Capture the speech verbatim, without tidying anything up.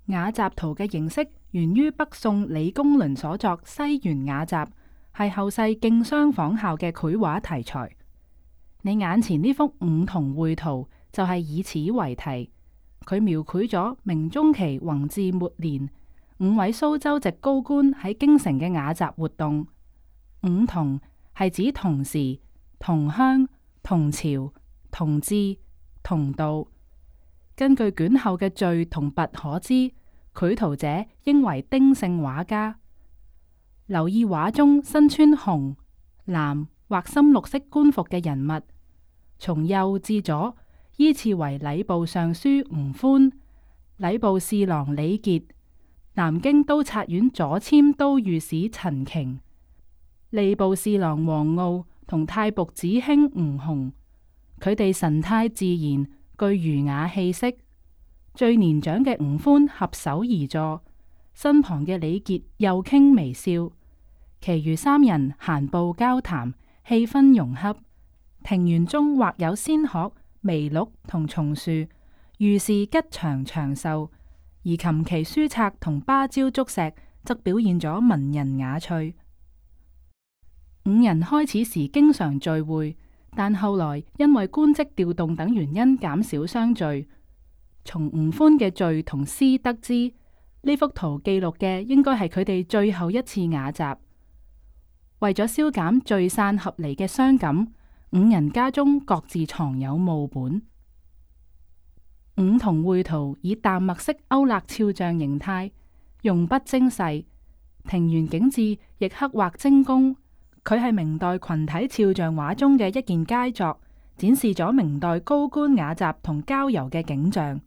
雅集圖嘅形式源於北宋李公麟所作《西園雅集》，係後世競相仿效嘅繪畫題材。你眼前呢幅五同會圖就係以此為題，佢描繪咗明中期弘治末年五位蘇州籍高官喺京城嘅雅集活動。五同係指同時、同鄉、同朝、同志、同道。根據卷後嘅序同跋可知，繪圖者應為丁姓畫家。留意畫中身穿紅、藍或深綠色官服嘅人物，從右至左依次為禮部尚書吳寬、禮部侍郎李傑、南京都察院左簽都御史陳瓊、吏部侍郎王遨同太僕子卿吳鴻。佢哋神態自然，具儒雅氣息。最年長嘅吳寬合手而坐，身旁嘅李傑又傾微笑。其餘三人閒步交談，氣氛融洽。庭園中或有仙鶴、麋鹿同松樹，預示吉祥長壽；而琴棋書冊同芭蕉竹石則表現咗文人雅趣。五人開始時經常聚會，但後來因為官職調動等原因減少相聚。從吳寬嘅序同詩得知，呢幅圖記錄嘅應該係佢哋最後一次雅集。為咗消減聚散合離嘅傷感，五人家中各自藏有墓本。五同會圖以淡墨色勾勒肖像形態，用筆精細，庭園景致亦刻畫精工。佢係明代群體肖像畫中嘅一件佳作，展示咗明代高官雅集同郊遊嘅景象。